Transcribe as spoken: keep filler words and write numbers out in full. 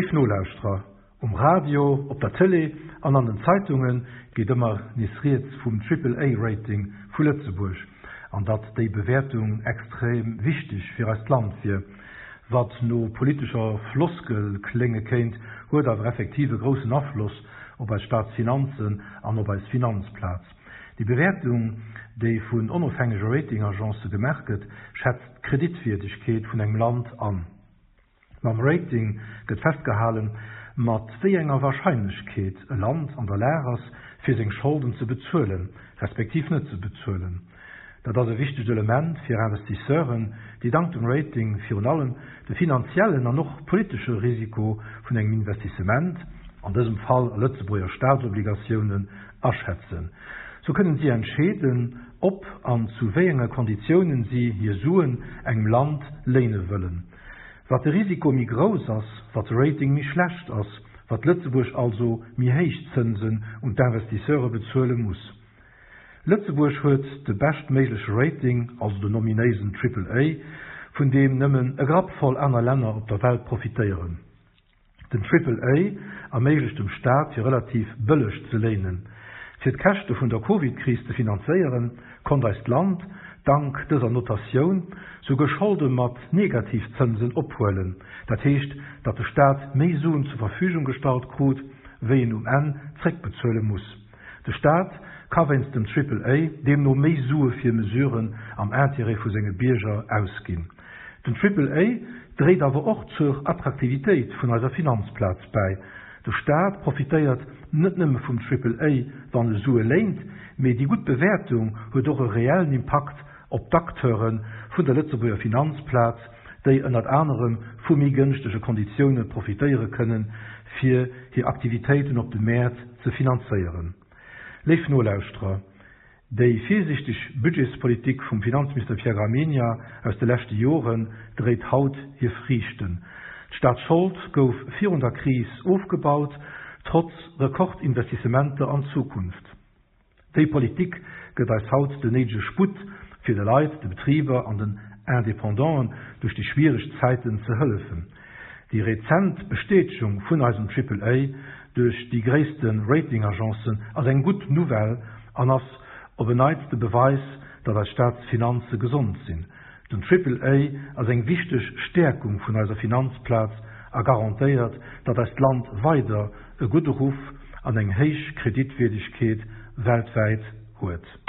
Léif Nolauschterer, um Radio, op der Tëlee an an den Zeitunge geet ëmmer nees rieds vum Triple-A-Rating vu Lëtzebuerg an datt déi Bewäertung extrem wichteg fir eist Land wier. Wat no politescher Floskel klénge kéint, huet awer effektiv e groussen Afloss op eis Staatsfinanzen an op eis Finanzplaz. Déi Bewäertung, déi vun onofhängege Rating-Agencë gemaach gëtt, schätzt d'Kreditwierdegkeet vun engem Land an. Mam Rating gëtt festgehalen, mat wéi enger Warscheinlechkeet e Land an der Lag ass, fir seng Scholden ze bezuelen, respektiv net ze bezuelen. Dat ass e wichtegt Element fir Investisseuren, déi dank dem Rating virun allem de finanziellen an och politesche Risiko vun engem Investissement, an dësem Fall a Lëtzebuerger Staatsobligatiounen, aschätzen. Sou kënnen si entscheeden, ob an zu wéi enge Konditiounen si hir Suen engem Land léine wëllen. Wat de Risiko méi grouss ass, wat de Rating méi schlecht ass, wat Lëtzebuerg also méi héich Zënsen un d'Investisseure bezuele muss. Lëtzebuerg huet de beschtméigleche Rating, also den ominéisen Triple A, vun deem nëmmen e Grapp voll aner Länner op der Welt profitéieren. Den Triple A erméiglecht dem Staat fir relativ bëlleg ze léinen. Fir d'Käschte vun der Covid-Kris ze finanzéieren, konnt eist Land, dank dëser Notatioun, souguer Scholde mat Negativzënsen ophuelen. Dat heescht, datt de Staat méi Suen zur Verfügung gestallt krut, wéi en um Enn zréckbezuele muss. De Staat ka wéinst dem Triple A deemno méi Sue fir Mesuren am Interêt vu senge Bierger ausginn. Den Triple A dréit awer och zur Attraktivitéit vun eiser Finanzplaz bäi. De Staat profitéiert net nëmme vum Triple A, wann e Sue léint, mee déi gutt Bewäertung huet och e reellen Impakt op d'Acteure vun der Lëtzebuerger Finanzplaz, déi ënnert anerem vu méi gënschtege Konditioune profitéiere kënnen, fir hir Aktivitéiten op de Mäert ze finanzéieren. Léif Nolauschterer, déi virsiichteg Budgetspolitik vum Finanzminister Pierre Gramegna aus de leschte Joren dréit haut hir Friichten. D'Staatsschold gouf virun der Kris ofgebaut, trotz Rekordinvestissementer an d'Zukunft. Déi Politik gëtt eis haut den néidege Sputt, fir de Leit, de Betriber an den Independanten duerch déi schwiereg Zäiten ze hëllefen. Déi rezent Bestätegung vun eisem Triple A duerch déi gréisste Rating-Agencen ass eng gutt Nouvelle an ass op en Neits de Beweis, datt eis Staatsfinanze gesond sinn. Den Triple A ass eng wichteg Stäerkung vun eiser Finanzplaz a garantéiert, datt eist Land weider e gudde Ruff an eng héich Kreditwierdegkeet weltwäit huet.